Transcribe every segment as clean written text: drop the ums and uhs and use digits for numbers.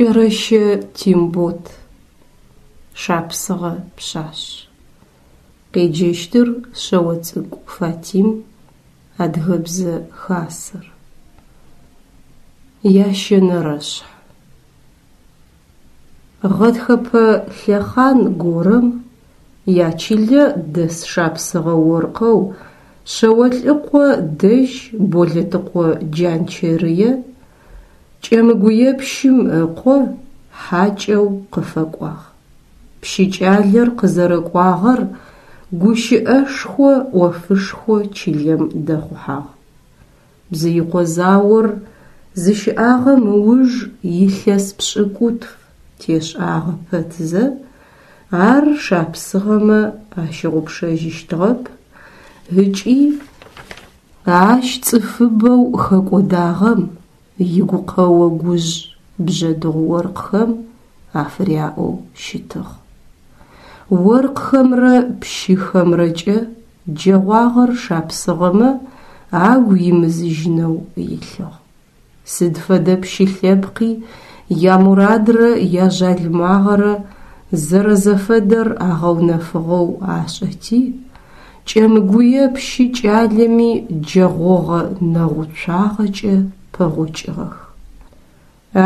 Кӏэрэщэ Тембот. Шапсыгъэ пшъашъ. Къеджэщтыр Шъэоцӏыкӏу Фатим, Адыгэбзэ Хасэр. Ящэнэрэшъхь. Гъэтхэпэ лъэхъан горэм ячылэ дэс шапсыгъэ оркъэу Шъэолӏыкъо дэжь Болэтыкъо Джанчэрые Кӏэмыгуепщым ыкъо хьакӏэу къыфэкӏуагъ. Пщы кӏалэр къызэрэкӏуагъэр гущыӏэшхо ӏофышхо чылэм дэхъухьагъ. Бзыикъо заор зыщыӏагъэм ыуж илъэс пшӏыкӏутф тешӏагъэ пэтзэ, ар шапсыгъэмэ ащыгъупшэжьыщтыгъэп ыкӏи ащ цӏыфыбэу хэкӏодагъэм игукъэо-гужъ бжъэдыгъу оркъхэм афыряӏэу щытыгъ. Оркъхэмрэ пщыхэмрэкӏэ джэгъуагъэр шапсыгъэмэ агу имызыжьынэу илъыгъ. Сыд фэдэ пщы лъэпкъи ямурадрэ яжъалымагъэрэ зэрэзэфэдэр агъэунэфыгъэу ашӏэти, Кӏэмыгуе пщы кӏалэми джэгъогъэ нэгъуцуагъэкӏэ пэгъокӏыгъэх.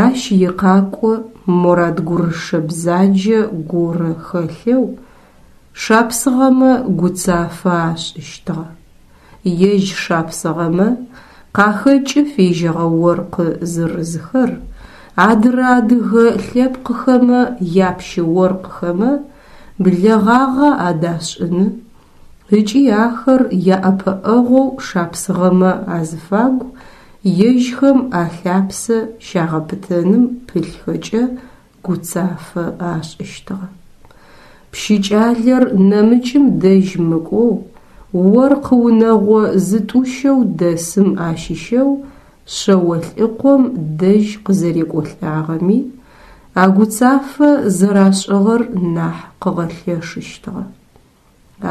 Ащ икъакӏо морад-гурышэ бзаджэ горэ хэлъэу шапсыгъэмэ гуцафэ ашӏыщтыгъэ. Ежь шапсыгъэмэ къахэкӏы фежьэгъэ оркъы зырызхэр адырэ адыгэ лъэпкъхэмэ япщы оркъхэмэ блэгъагъэ адашӏыны ыкӏи ахэр яӏэпыӏэгъоу шапсыгъэмэ азыфагу ежьхэм алъапсэ щагъэпытэным пылъхэкӏэ гуцафэ ашӏыщтыгъэ. Пщы кӏалэр нэмыкӏым дэжь мыкӏоу, оркъ унэгъо зытӏущэу дэсым ащыщэу Шъэолӏыкъом дэжь къызэрекӏолӏагъэми а гуцафэ зэрашӏыгъэр нахь къыгъэлъэшыщтыгъэ.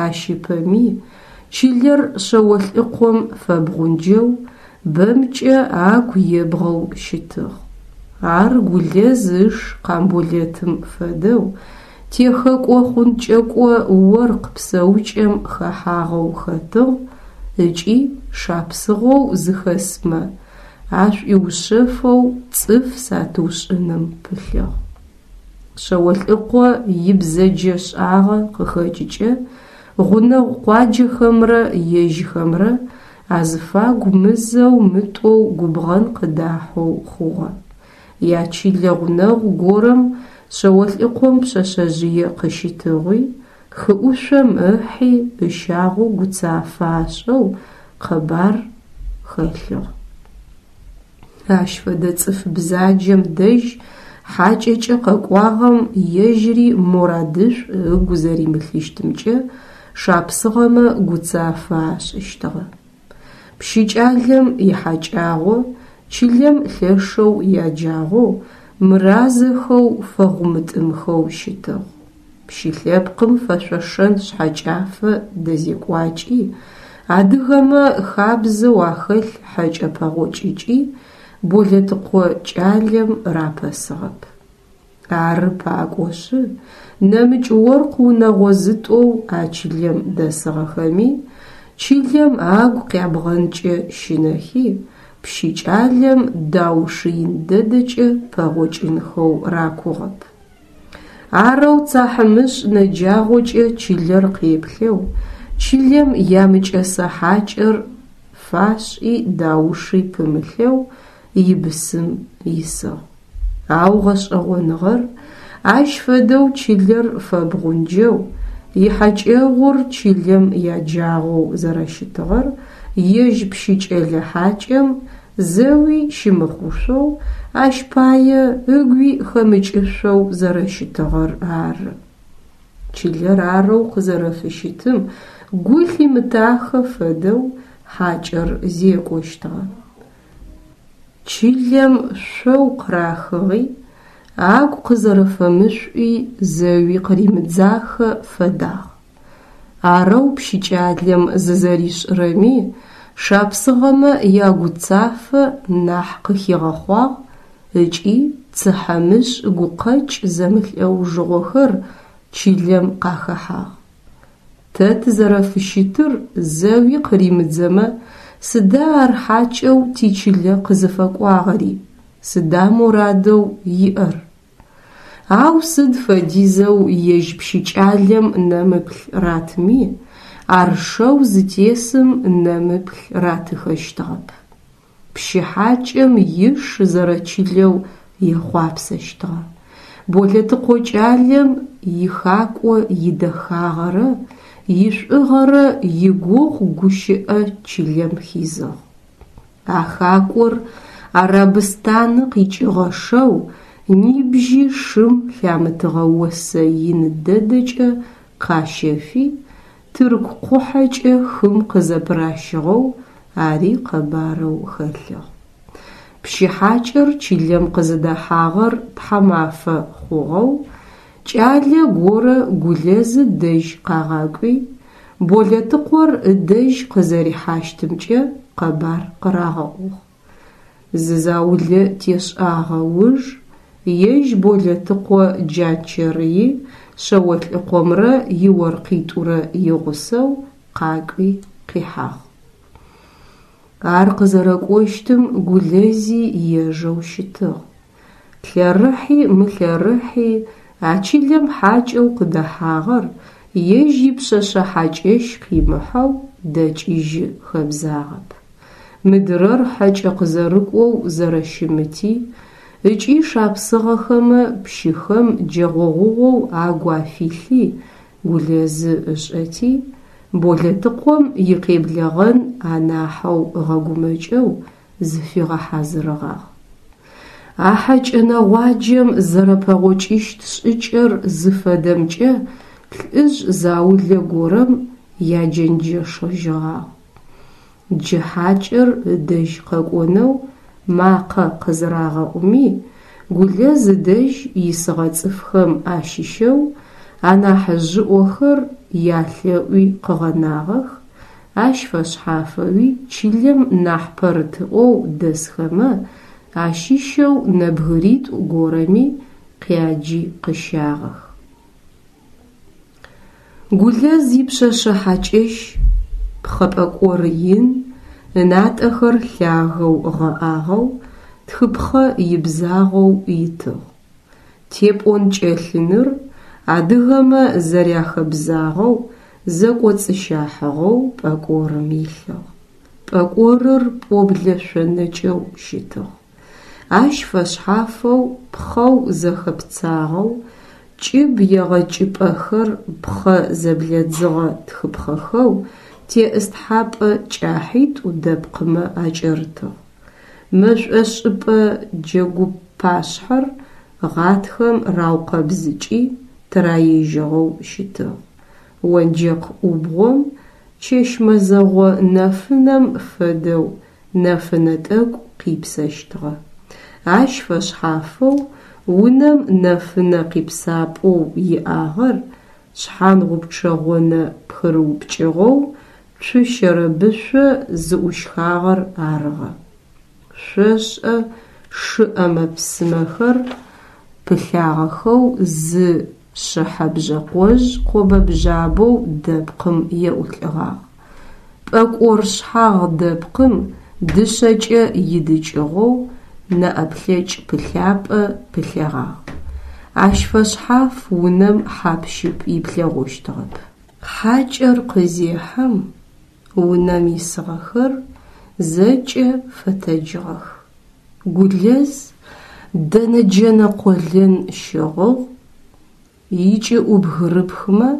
Ащ ыпэми чылэр Шъэолӏыкъом фэбгъунджэу, бэмкӏэ агу ебгъэу щытыгъ. Ар Гулэз ыш Къамболэтым фэдэу техэкӏо-хъункӏэкӏо оркъ псэукӏэм хэхьагъэу хэтыгъ ыкӏи шапсыгъэу зыхэсмэ ашӏуиушъэфэу цӏыф сатыушӏыным пылъыгъ. Шъэолӏыкъо ибзэджэшӏагъэ къыхэкӏыкӏэ гъунэгъу къуаджэхэмрэ ежьхэмрэ азыфагу мызэу-мытӏоу губгъэн къыдахьэу хъугъэ. Ячылэ гъунэгъу горэм Шъэолӏыкъом пшъэшъэжъые къыщитыгъуи, хыӏушъом ыхьи ыщагъэу гуцафэ ашӏэу къэбар хэлъыгъ. Ащ фэдэ цӏыф бзаджэм дэжь хьакӏэкӏэ къэкӏуагъэм ежьыри морадышӏу ыгу зэримылъыщтымкӏэ шапсыгъэмэ гуцафэ ашӏыщтыгъэ. Пщы кӏалэм ихьакӏагъо чылэм лъэшэу яджагъоу, мыразэхэу, фэгъумытӏымхэу щытыгъ. Пщы лъэпкъым фэшъошэн шъхьэкӏафэ дэзекӏуакӏи, адыгэмэ хабзэу ахэлъ хьэкӏэ пэгъокӏыкӏи Болэтыкъо кӏалэм рапэсыгъэп. Ары пакӏошъы, нэмыкӏ оркъ унэгъо зытӏоу а чылэм дэсыгъэхэми, чылэм агу къябгъэнкӏэ щынэхи, пщы кӏалэм дауши ин дэдэкӏэ пэгъокӏынхэу ракугъэп. Арэу цахьымышӏ нэджагъокӏэ чылэр къеплъэу, чылэм ямыкӏэсэ хьакӏэр фашӏи дауши пымылъэу ибысым исыгъ. Ау гъэшӏэгъоныгъэр, ащ фэдэу чылэр фэбгъунджэу, ихьакӏэгъур чылэм яджагъоу зэрэщытыгъэр ежь пщы кӏэлэ хьакӏэм зэуи щымыхъушъоу, ащ пае ыгуи хэмыкӏышъоу зэрэщытыгъэр ары. Чылэр арэу къызэрэфыщытым гу лъимытахэ фэдэу хьакӏэр зекӏощтыгъэ. Чылэм шъоу къырахыгъи, агу къызэрэфэмышӏуи зэуи къыримыдзахэ фэдагъ. Арэу пщы кӏалэм зызэришӏырэми шапсыгъэмэ ягуцафэ нахь къыхигъэхъуагъ ыкӏи цыхьэмышӏ гукъэкӏ зэмылӏэужыгъохэр чылэм къахэхьагъ. Тэ тызэрэфыщытыр зэуи къыримыдзэмэ, сыда ар хьакӏэу тичылэ къызыфэкӏуагъэри, сыда морадэу иӏэр? Ау сыд фэдизэу ежь пщыкӏалэм нэмыплъ ратми, ар шэу зытесым нэмыплъ ратыхэщтыгъэп. Пщы хьакӏэм иш зэрэчылэу ехъуапсэщтыгъэ. Болэтыкъо кӏалэм ихакӏо идэхагъэрэ ишӏугъэрэ игугъу гущыӏэ чылэм хизыгъ. А хакӏор Арабыстаны къикӏыгъэ шэу нибжьи шым лъамытыгъэ осэ ин дэдэкӏэ къащэфи, тырку къухьэкӏэ хым къызэпыращыгъэу ари къэбарэу хэлъыгъ. Пщы хьакӏэр чылэм къызыдэхьагъэр тхьамафэ хъугъэу, кӏалэ горэ Гулэзы дэжь къагъакӏуи, Болэтыкъор ыдэжь къызэрихьащтымкӏэ къэбар къырагъэӏугъ. Зы заулэ тешӏагъэ уж ежь Болэтыкъо Джанчэрыи Шъэолӏыкъомрэ иоркъитӏурэ игъусэу къакӏуи къихьагъ. Ар къызэрэкӏощтым Гулэзи ежэу щытыгъ. Лъэрыхьи мылъэрыхьи а чылэм хьакӏэу къыдэхьагъэр ежь ипшъэшъэ хьакӏэщ къимыхьэу дэкӏыжьы хэбзагъэп. Мыдырэр хьэкӏэ къызэрыкӏоу зэрэщымыти ыкӏи шапсыгъэхэмэ пщыхэм джэгъогъугъэу агу афилъи Гулэзы ышӏэти, Болэтыкъом икъеблэгъэн анахьэу ыгъэгумэкӏэу зыфигъэхьазырыгъагъ. А хьэкӏэ нэгъуаджэм зэрэпэгъокӏыщт шӏыкӏэр зыфэдэмкӏэ лӏыжъ заулэ горэм яджэнджэшыжьыгъагъ. Джы хьакӏэр ыдэжь къэкӏонэу макъэ къызырагъэӏуми, Гулэз ыдэжь исыгъэ цӏыфхэм ащыщэу анахьыжъыӏохэр ялъэӏуи къыгъэнагъэх, ащ фэшъхьафэуи чылэм нахь пэрытыӏоу дэсхэмэ ащыщэу нэбгыритӏу горэми къяджи къыщагъэх. Гулэз ипшъэшъэ хьакӏэщ пхъэ пӏэкӏор ин, ынатӏэхэр лъагэу гъэӏагъэу, тхыпхъэ ибзагъэу итыгъ. Тепӏон-кӏэлъыныр адыгэмэ зэряхэбзагъэу зэкӏоцӏыщахьыгъэу пӏэкӏорым илъыгъ. Пӏэкӏорыр пӏоблэ шъонэкӏэу щытыгъ. Ащ фэшъхьафэу пхъэу зэхэпцагъэу, кӏыб егъэкӏыпӏэхэр пхъэ зэблэдзыгъэ тхыпхъэхэу теӏыстхьапӏэ кӏахьитӏу дэпкъымэ акӏэрытыгъ. Мэшӏошӏыпӏэ джэгупашъхьэр гъатхэм раукъэбзыкӏи тыраежьыгъэу щытыгъ. Онджэкъ ӏубгъом чэщ мэзэгъо нэфынэм фэдэу нэфынэ тӏэкӏу къипсэщтыгъэ. Ащ фэшъхьафэу унэм нэфынэ къипсапӏэу иӏагъэр шъхьангъупчъэ гъонэ пхырыупкӏыгъэу цу щэрэбышъо зыӏущхагъэр арыгъэ. Шъошӏэ шы ӏэмэ-псымэхэр пылъагъэхэу зы шъыхьэ бжъэкъожъ къобэ-бжъабэу дэпкъым еӏулӏыгъагъ. Пӏэкӏор шъхьагъ дэпкъым дышъэкӏэ идыкӏыгъэу нэӏэплъэкӏ пылъапӏэ пылъэгъагъ. Ащ фэшъхьаф унэм хьап-щып иплъэгъощтыгъэп. Хьакӏэр къызехьэм, унэм исыгъэхэр зэкӏэ фэтэджыгъэх. Гулэз дэнэ джэнэ къолэн щыгъыгъ, икӏыӏубгырыпхымэ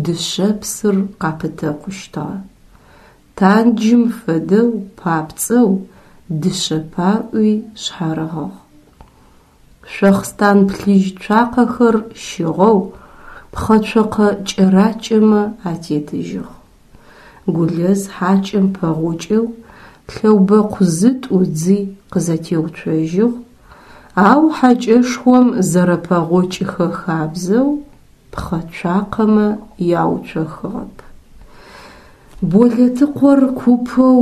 дышъэпсыр къапытэкъущтыгъэ. Танджым фэдэу папцӏэу дышъэ паӏуи шъхьарыгъыгъ. Шъохъстан плъыжь цуакъэхэр щыгъэу пхъэ цокъэ кӏэракӏэмэ атетыжьыгъ. Гулэз хьакӏэм пэгъокӏэу лъэубэкъу зытӏу ыдзи къызэтеуцожьыгъ, ау хьакӏэшхом зэрэпэгъокӏыхэ хабзэу пхъэ цуакъэмэ яуцохыгъэп. Болэтыкъор купэу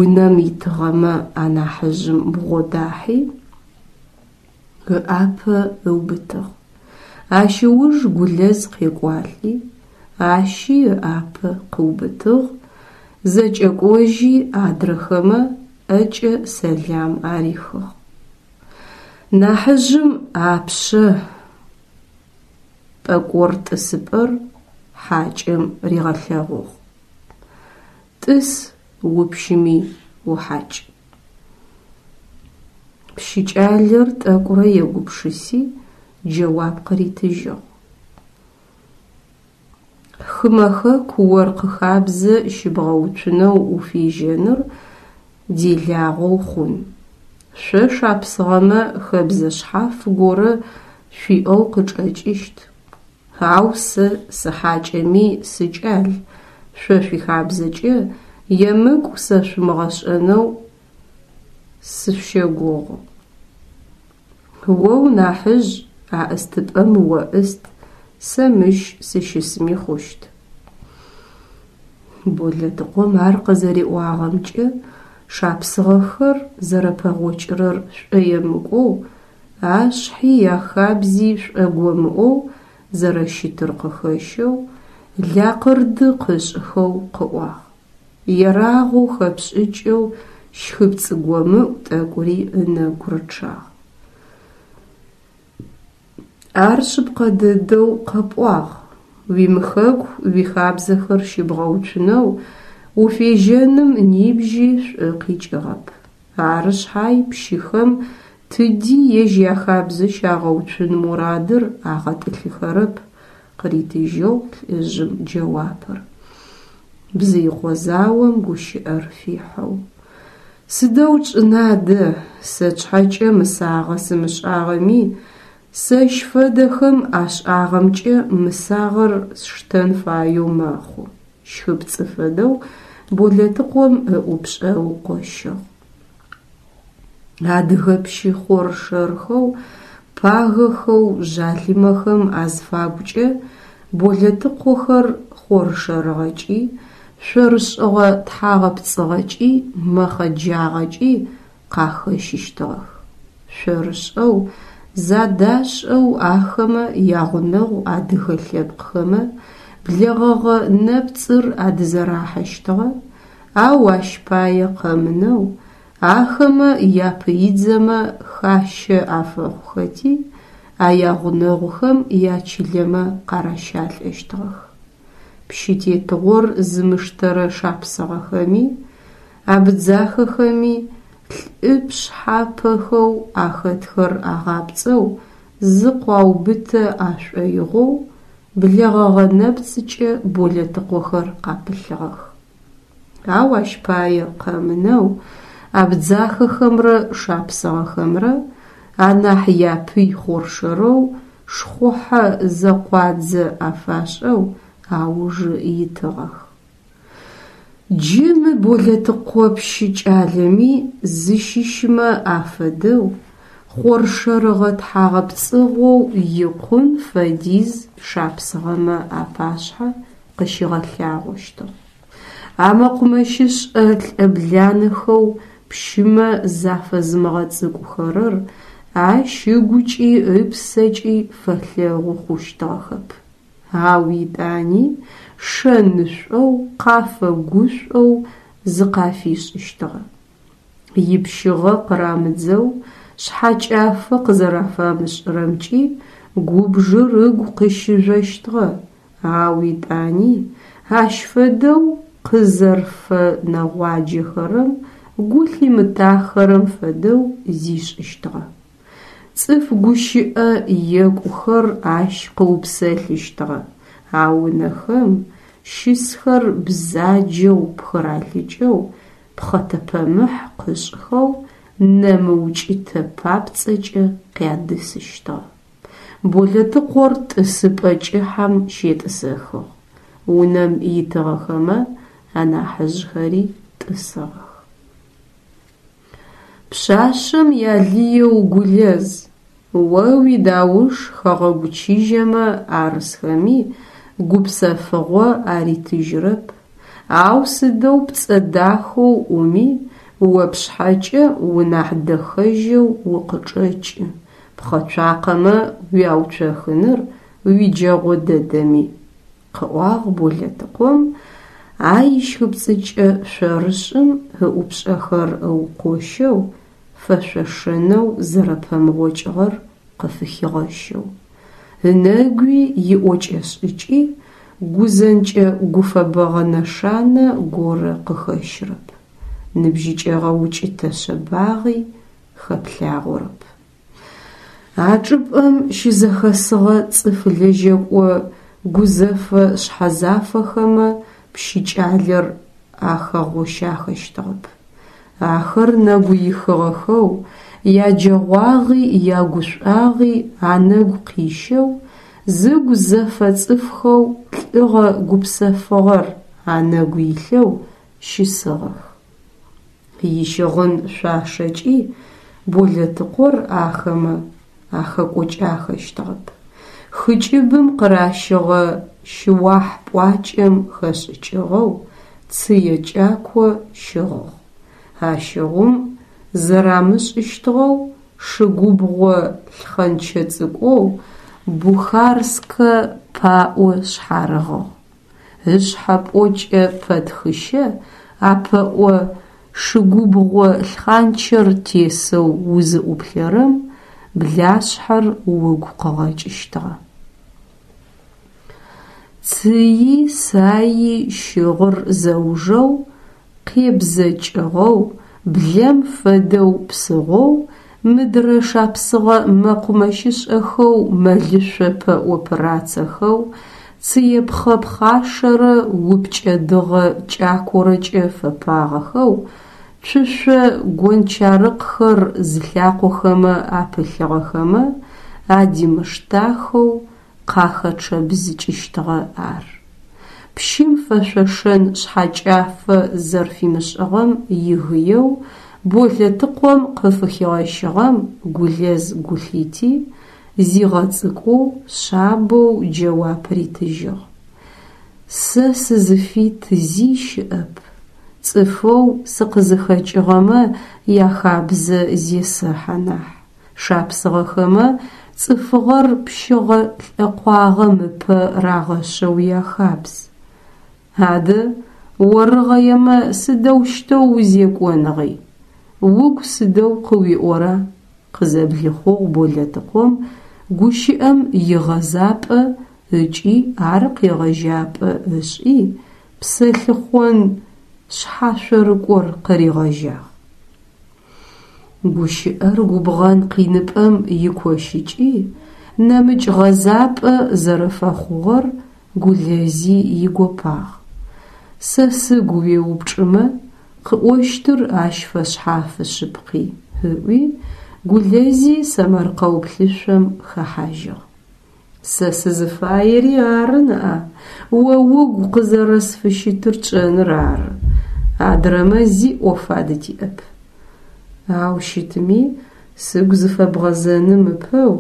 унэм итыгъэмэ анахьыжъым бгъодахьи, Ыӏапэ ыубытыгъ. Ащ ыуж Гулэз къекӏуалӏи, ащи ыӏапэ къыубытыгъ, зэкӏэкӏожьи адрэхэмэ ӏэкӏэ сэлам арихыгъ. Нахьыжъым апшъэ пӏэкӏор тӏысыпӏэр хьакӏэм ригъэлъэгъугъ. Тӏыс, упщыми ухьакӏ. Пщыкӏалэр тӏэкӏурэ егупшыси, джэуап къыритыжьыгъ. Хымэ хэку оркъ хабзэ щыбгъэуцунэу уфежьэныр делагъэу хъун. Шъо шапсыгъэмэ хэбзэ шъхьаф горэ шъуиӏэу къычӏэкӏыщт. Ау сэ сыхьакӏэми сыкӏал, шъо шъуихабзэкӏэ емыкӏу сэшъумыгъэшӏэнэу сышъущэгугъы. О унахьыжъ, а ӏыстыпӏэм о ӏыст, сэ мыщ сыщысми хъущт. Болэтыкъом ар къызэриӏуагъэмкӏэ шапсыгъэхэр зэрэпэгъокӏырэр шӏоемыкӏоу, ашъхьи яхабзи шӏогомыӏоу зэрэщытыр къыхэщэу, лакъырды къышӏхэу къыӏуагъ. Ерагъэу хэпшӏыкӏэу щхыпцӏ гомыӏу тӏэкӏури ынэгу рычъагъ. Ар шъыпкъэ дэдэу къэпӏуагъ, уимыхэку уихабзэхэр щыбгъэуцунэу уфежьэным нибжьи шӏу къикӏыгъэп. Ары шъхьай пщыхэм тыди ежь яхабзэ щагъэуцун мурадыр агъэтӏылъыхэрэп, къыритыжьыгъ лӏыжъым джэуапыр. Бзыикъо заом гущыӏэр фихьэу. Сыдэу тшӏына адэ, сэ тшъхьэкӏэ мысагъэ сымышӏагъэми, сэщ фэдэхэм ашӏагъэмкӏэ мысагъэр сштэн фаеу мэхъу, щхыпцӏы фэдэу Болэтыкъом ыӏупшӏэ ыукъощыгъ. Адыгэ пщы хъоршэрхэу, пагэхэу жъалымэхэм азфагукӏэ Болэтыкъохэр хъоршэрыгъэкӏи, шъорышӏыгъэ тхьагъэпцӏыгъэкӏи, мэхъэджагъэкӏи къахэщыщтыгъэх. Шъорышӏэу, задашӏэу ахэмэ ягъунэгъу адыгэ лъэпкъхэмэ блэгъэгъэ нэпцӏыр адызэрахьэщтыгъэ, ау ащ пае къэмынэу, ахэмэ япыидзэмэ хащэ афэхъухэти, а ягъунэгъухэм ячылэмэ къаращалӏэщтыгъэх. Пщы тетыгъор зымыштэрэ шапсыгъэхэми, абдзахэхэми лӏы пшъхьапэхэу ахэтхэр агъапцӏэу зыкъуаубытэ ашӏоигъоу блэгъэгъэ нэпцӏыкӏэ Болэтыкъохэр къапылъыгъэх. Ау ащ пае къэмынэу абдзахэхэмрэ шапсыгъэхэмрэ анахь япый хъоршэрэу шхъухьэ зэкъуадзэ афашӏэу аужы итыгъэх. Джы мы Болэтыкъо пщы кӏалэми зыщыщмэ афэдэу хъоршэрыгъэ тхьагъэпцӏыгъэу икъун фэдиз шапсыгъэмэ апашъхьэ къыщигъэлъагъощтыгъ. А мэкъумэщышӏэ лӏэбланэхэу пщымэ зафэзымыгъэцӏыкӏухэрэр ащ ыгукӏи ыпсэкӏи фэлъэгъу хъущтыгъэхэп. Ау етӏани шэнышӏоу, къафэгушӏоу зыкъафишӏыщтыгъэ. Ипщыгъэ къырамыдзэу шъхьэкӏафэ къызэрафамышӏырэмкӏи губжыр ыгу къыщыжъощтыгъэ, ау етӏани ащ фэдэу къызэрфэнэгъуаджэхэрэм гу лъимытахэрэм фэдэу зишӏыщтыгъэ. Цӏыф гущыӏэ екӏухэр ащ къыупсэлъыщтыгъэ, ау ынэхэм щысхэр бзаджэу пхыралъыкӏэу, пхъэтэпэмыхь къышӏхэу нэ мыукӏытэ папцӏэкӏэ къядысыщтыгъэ. Болэтыкъор тӏысыпӏэ кӏыхьэм щетӏысэхыгъ, унэм итыгъэхэмэ анахьыжъхэри тӏысыгъэх. Пшъашъэм ялыеу Гулэз, о уидауш хэгъэгу чыжьэмэ арысхэми гупсэфыгъо аритыжьырэп, ау сыдэу пцӏэ дахэу ӏуми, о пшъхьэкӏэ унахь дэхэжьэу укъычӏэкӏы. Пхъэ цуакъэмэ уяуцохыныр уиджэгъо дэдэми, къыӏуагъ Болэтыкъом, а ищхыпцӏыкӏэ шъорышӏым ыӏупшӏэхэр ыукъощэу, фэшъошэнэу зэрэпэмыгъокӏыгъэр къыфыхигъэщэу. Ынэгуи иӏокӏэ-шӏыкӏи гузэнкӏэ-гуфэбэгъэ нэшанэ горэ къыхэщырэп, ныбжьыкӏэгъэ укӏытэ шъэбагъи хэплъагъорэп. А чӏыпӏэм щызэхэсыгъэ цӏыф лэжьэкӏо гузэфэ шъхьэзафэхэмэ пщыкӏалэр ахэгъощахэщтыгъэп. Ахэр нэгу ихыгъэхэу, яджэгъуагъи ягушӏуагъи анэгу къищэу, зыгу зэфэ цӏыфхэу лӏыгъэ гупсэфыгъэр анэгу илъэу щысыгъэх. Ищыгъын шъуашэкӏи Болэтыкъор ахэмэ ахэкӏокӏахэщтыгъэп. Хы кӏыбым къыращыгъэ шыуахь пӏуакӏэм хэшӏыкӏыгъэу цые кӏако щыгъыгъ. Ащыгъум зэрамышӏыщтыгъэу шы губгъо лъхъэнчэ цӏыкӏоу бухарскэ паӏо шъхьарыгъыгъ. Ышъхьэ пӏокӏэ пэтхыщэ а пэӏо шыгубгъо лъхъанчэр тесэу узыӏуплъэрэм блашъхьэр угу къыгъэкӏыщтыгъэ. Цыий саий щыгъыр зэужэу, къебзэкӏыгъэу, блэм фэдэу псыгъоу, мыдрэ шапсыгъэ мэкъумэщышӏэхэу мэлышъо пэӏо пырацэхэу, цыепхъэ пхъашэрэ упкӏэ дыгъэ кӏакорэкӏэ фэпагъэхэу, цушъо гончарыкъхэр зылъакъохэмэ апылъыгъэхэмэ адимыштахэу къахэчъэбзыкӏыщтыгъэ ар. Пщым фэшъошэн шъхьэкӏафэ зэрфимышӏыгъэм игыеу Болэтыкъом къыфыхигъэщыгъэм Гулэз гу лъити, зигъэцӏыкӏоу, шъабэу джэуап ритыжьыгъ. Сэ сызыфит зи щыӏэп, цӏыфэу сыкъызыхэкӏыгъэмэ яхабзэ зесэхьэ нахь. Шапсыгъэхэмэ цӏыфыгъэр пщыгъэ лӏэкъуагъэм ыпэ рагъэшъэу яхабз. Адэ, орыгъэемэ сыдэущтэу узекӏоныгъи? Угу сыдэу къыуиӏора? къызэблихъугъ Болэтыкъом гущыӏэм игъэзапӏэ ыкӏи ар къегъэжьапӏэ ышӏи, псэлъыхъон шъхьашъорыкӏор къыригъэжьагъ. Гущыӏэр губгъэн къиныпӏэм икощыкӏи, нэмыкӏ гъэзапӏэ зэрэфэхъугъэр Гулэзи игопагъ. Сэ сыгу уеупчӏымэ, къыӏощтыр ащ фэшъхьафы шъыпкъи, ыӏуи, Гулэзи сэмэркъэу плъышъом хэхьажьыгъ. Сэ сызыфаери ары ныӏа, о угу къызэрэсфыщытыр тшӏэныр ары, адрэмэ зи ӏоф адытиӏэп. Ау щытми, сыгу зыфэбгъэзэным ыпэу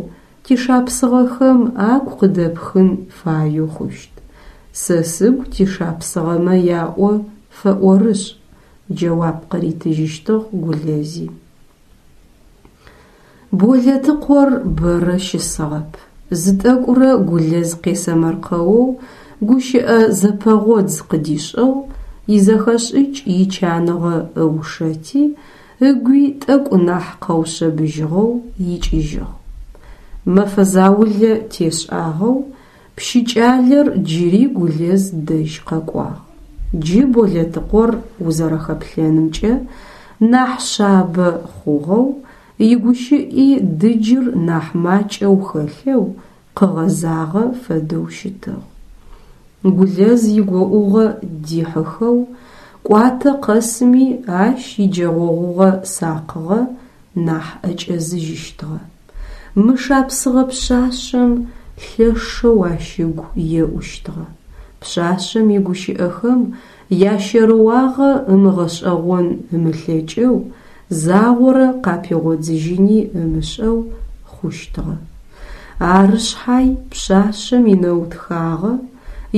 тишапсыгъэхэм агу къыдэпхын фаеу хъущт. Сэ сыгу тишапсыгъэмэ яӏо фэӏорышӏ, джэуап къыритыжьыщтыгъ Гулэзи. Болэтыкъор бэрэ щысыгъэп. Зы тӏэкӏурэ Гулэз къесэмэркъэоу гущыӏэ зэпэгъодз къыдишӏыгъ, изэхэшӏыкӏ ичаныгъэ ыушэти, ыгуи тӏэкӏу нахь къэушъэбыжьыгъэу икӏыжьыгъ. Мэфэ заулэ тешӏагъэу Пщыкӏалэр джыри Гулэз дэжь къэкӏуагъ. Джы Болэтыкъор узэрэхэплъэнымкӏэ нахь шъабэ хъугъэу, игущыӏи дыджыр нахь макӏэу хэлъэу къыгъэзагъэ фэдэу щытыгъ. Гулэз игоӏугъэ дихьыхэу, кӏуатэ къэсми ащ иджэгъогъугъэ сакъыгъэ нахь ӏэкӏэзыжьыщтыгъэ. Мы шапсыгъэ пшъашъэм лъэшэу ащ ыгу еӏущтыгъэ. Пшъашъэм игущыӏэхэм ящэрыуагъэ ымыгъэшӏэгъон ымылъэкӏэу, загъорэ къапигъодзыжьыни ымышӏэу хъущтыгъэ. Ары шъхьай пшъашъэм инэутхагъэ,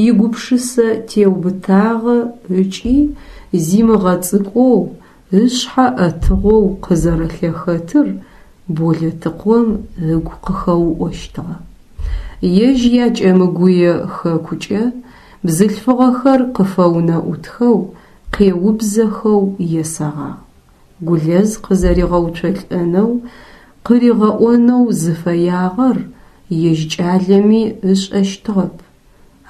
игупшысэ теубытагъэ ыкӏи зимыгъэцӏыкӏоу, ышъхьэ ӏэтыгъэу къызэрэлъэхэтыр. Болэтыкъом ыгу къыхэуӏощтыгъэ. Ежь якӏэмыгуе хэкукӏэ бзылъфыгъэхэр къыфэунэӏутхэу, къеубзэхэу есэгъагъ. Гулэз къызэригъэуцолӏэнэу, къыригъэӏонэу зыфэягъэр ежь кӏалэми ышӏэщтыгъэп.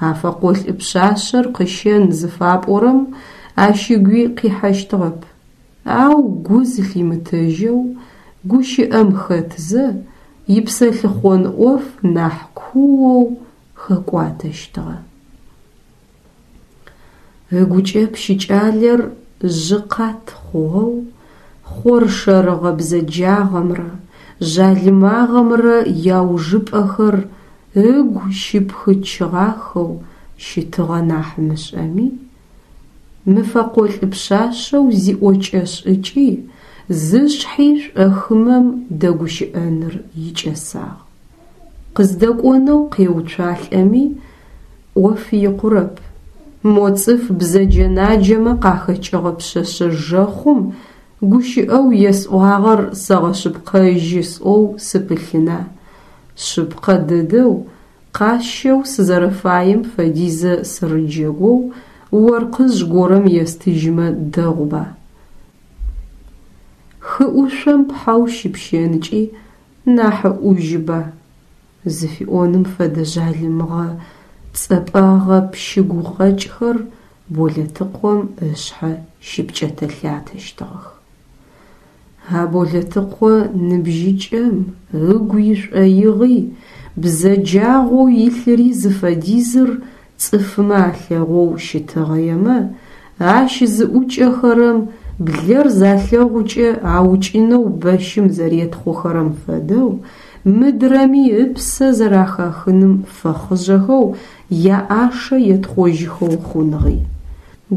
А фэкъолӏ пшъашъэр къыщэн зыфапӏорэм ащ ыгуи къихьэщтыгъэп. Ау гу зылъимытэжьэу гущыӏэм хэтзэ, ипсэлъыхъон ӏоф нахь куоу хэкӏуатэщтыгъэ. Ыгукӏэ пщыкӏалэр жъы къат хъугъэу, хъоршэрыгъэ бзэджагъэмрэ жъалымагъэмрэ яужыпӏэхэр ыгу щыпхычыгъахэу щытыгъэ нахь мышӏэми, мы фэкъолӏ пшъашъэу зиӏокӏэ-шӏыкӏи, зышъхьи шӏохымэм дэгущыӏэныр икӏэсагъ. Къыздэкӏонэу къеуцуалӏэми, ӏоф икъурэп. Мо цӏыф бзэджэ-наджэмэ къахэкӏыгъэ пшъэшъэ жэхъум гущыӏэу есӏуагъэр сэгъэшъыпкъэжьы сӏоу сыпылъына? Шъыпкъэ дэдэу, къасщэу сызэрэфаем фэдизэ сырыджэгоу оркъыжъ горэм естыжьмэ дэгъуба? Хы ӏушъом пхьэу щыпщэнкӏи нахьыӏужьыба? Зыфиӏоным фэдэ жъалымыгъэ цӏэпӏэгъэ пщы гукъэкӏхэр Болэтыкъом ышъхьэ щыпкӏэтэ-лъатэщтыгъэх. А Болэтыкъо ныбжьыкӏэм ыгу ишӏоигъи, бзэджагъэу илъыри зыфэдизыр цӏыфмэ алъэгъоу щытыгъэемэ, ащ зыӏукӏэхэрэм блэр залъэгъукӏэ аукӏынэу бэщым зэретхъохэрэм фэдэу, мыдрэми ыпсэ зэрахахыным фэхъыжъэхэу яӏашэ етхъожьыхэу хъунгъи.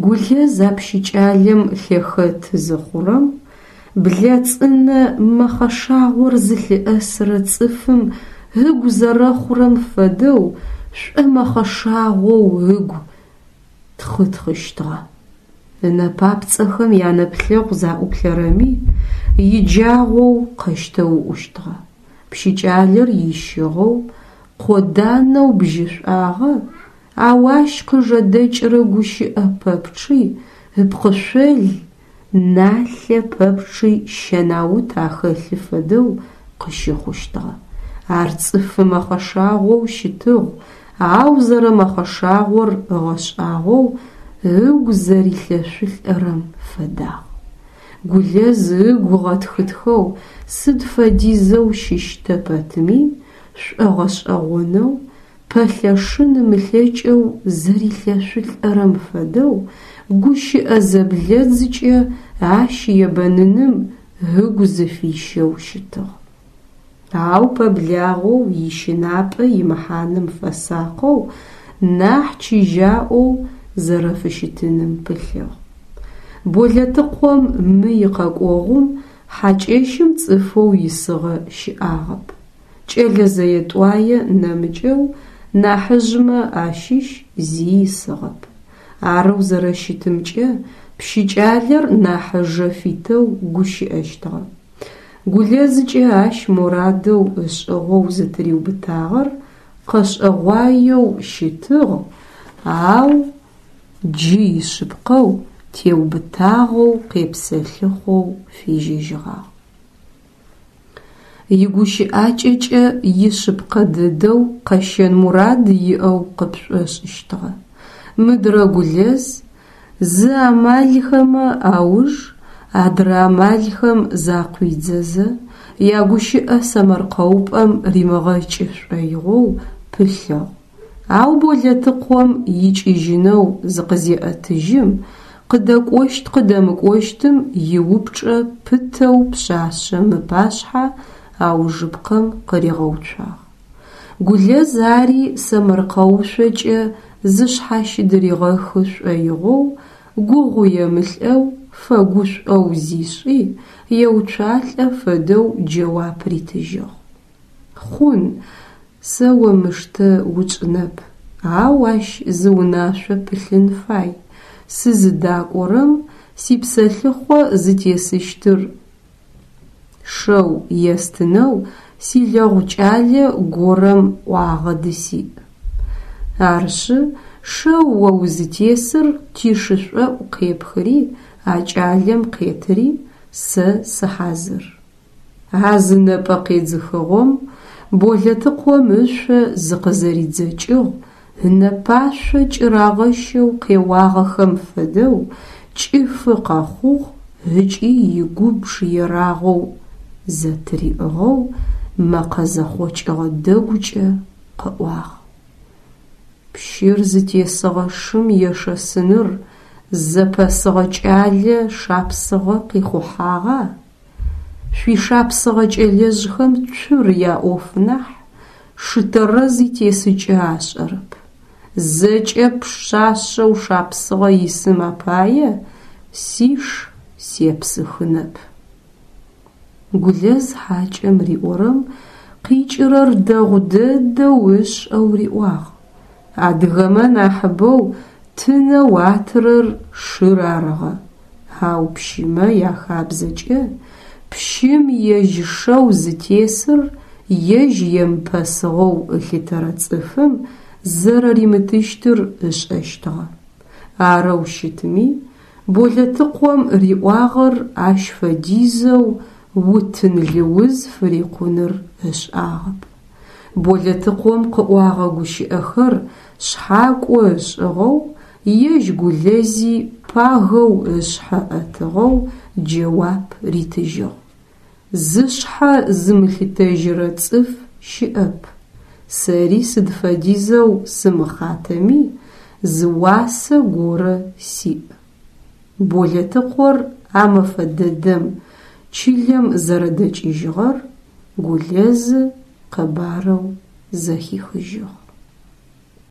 Гулэз а пщыкӏалэм лъэхэт зыхъурэм, блэ цӏынэ мэхъэшагъор зылъыӏэсырэ цӏыфым ыгу зэрэхъурэм фэдэу шӏомэхъэшагъоу ыгу тхъытхъыщтыгъэ. Ынэ папцӏэхэм янэплъэгъу заӏуплъэрэми, иджагъоу къэщтэуӏущтыгъэ. Пщыкӏалэр ищыгъэу, къоданэу бжьышӏуагъэ, ау ащ къыжэдэкӏырэ гущыӏэ пэпчъи ыпкъышъол налъэ пэпчъи щэнаут ахэлъы фэдэу къыщыхъущтыгъэ. Ар цӏыфы мэхъэшагъоу щытыгъ, ау зэрэмэхъэшагъор ыгъэшӏагъоу ыгу зэрилъэшъулӏэрэм фэдагъ. Гулэз ыгу ыгъэтхытхэу сыд фэдизэу щыщтэ пэтми, шӏогъэшӏэгъонэу, пэлъэшын ымылъэкӏэу зэрилъэшъулӏэрэм фэдэу, гущыӏэ зэблэдзкӏэ ащ ебэныным ыгу зыфищэу щытыгъ. Ау пэблагъэу ищынапӏэ имыхьаным фэсакъэу, нахь чыжьаӏоу зэрэфыщытыным пылъыгъ. Болэтыкъом мы икъэкӏогъум хьакӏэщым цӏыфэу исыгъэ щыӏагъэп. Кӏэлэ зэе-тӏуае нэмыкӏэу нахьыжъмэ ащыщ зи исыгъэп. Арэу зэрэщытымкӏэ пщыкӏалэр нахь ыжэ фитэу гущыӏэщтыгъэ. Гулэзкӏэ ащ морадэу ышӏыгъэу зытыриубытагъэр къэшӏэгъуаеу щытыгъ, ау джы ишъыпкъэу, теубытагъэу къепсэлъыхъоу фежьэжьыгъагъ. Игущыӏакӏэкӏэ ишъыпкъэ дэдэу къэщэн мурад иӏэу къыпшӏошӏыщтыгъэ. Мыдрэ Гулэз зы амалхэмэ ауж адрэ амалхэм закъуидзэзэ, ягущыӏэ сэмэркъэупӏэм римыгъэкӏы шӏоигъоу пылъыгъ. Ау Болэтыкъом икӏыжьынэу зыкъызеӏэтыжьым, къыдэкӏощт-къыдэмыкӏощтым иупчӏэ пытэу пшъашъэм ыпашъхьэ аужыпкъэм къыригъэуцуагъ. Гулэз ари сэмэркъэушъокӏэ зышъхьащыдыригъэхы шӏоигъоу, гугъуемылӏэу, фэгушӏоу зишӏи, еуцуалӏэ фэдэу джэуап ритыжьыгъ. Хъун, сэ омыштэ утшӏынэп, ау ащ зы унашъо пылъын фай, сызыдакӏорэм сипсэлъыхъо зытесыщтыр. Шэу естынэу силэгъу кӏалэ горэм ӏуагъэ дысиӏ. Арышъы, шэу о узытесыр тишышӏоӏу къепхыри а кӏалэм къетыри, сэ сыхьазыр. А зы нэпӏэ къедзыхыгъом Болэтыкъом ышъо зыкъызэридзэкӏыгъ, ынэпашъо кӏырагъэщэу къеуагъэхэм фэдэу кӏыфы къэхъугъ ыкӏи игубж ерагъэу зэтыриӏыгъэу мэкъэ зэхъокӏыгъэ дэгукӏэ къыӏуагъ. Пщыр зытесыгъэ шым ешэсыныр зэпэсыгъэ кӏалэ Шапсыгъэ къихъухьагъа? Шъуишапсыгъэ кӏэлэжъхэм цур яӏоф нахь, шы тэрэз итесыкӏэ ашӏэрэп. Зэкӏэ пшъашъэу Шапсыгъэ исым апае сиш сепсыхынэп. Гулэз хьакӏэм риӏорэм къикӏырэр дэгъу дэдэу ышӏэу риӏуагъ. Адыгэмэ нахьыбэу тынэу атырэр шыр арыгъэ, ау пщымэ яхабзэкӏэ пщым ежь шэу зытесыр ежь емыпэсыгъэу ылъытэрэ цӏыфым зэрэримытыщтыр ышӏэщтыгъэ. Арэу щытми, Болэтыкъом риӏуагъэр ащ фэдизэу утын лыуз фырикъуныр ышӏагъэп. Болэтыкъом къыӏуагъэ гущыӏэхэр шъхьакӏо ышӏыгъэу, ежь Гулэзи пагэу ышъхьэ ӏэтыгъэу джэуап ритыжьыгъ. Зышъхьэ зымылъытэжьырэ цӏыф щыӏэп. Сэри сыд фэдизэу сымыхъатэми, зы уасэ горэ сиӏ. Болэтыкъор а мэфэ дэдэм чылэм зэрэдэкӏыжьыгъэр Гулэзы къэбарэу зэхихыжьыгъ.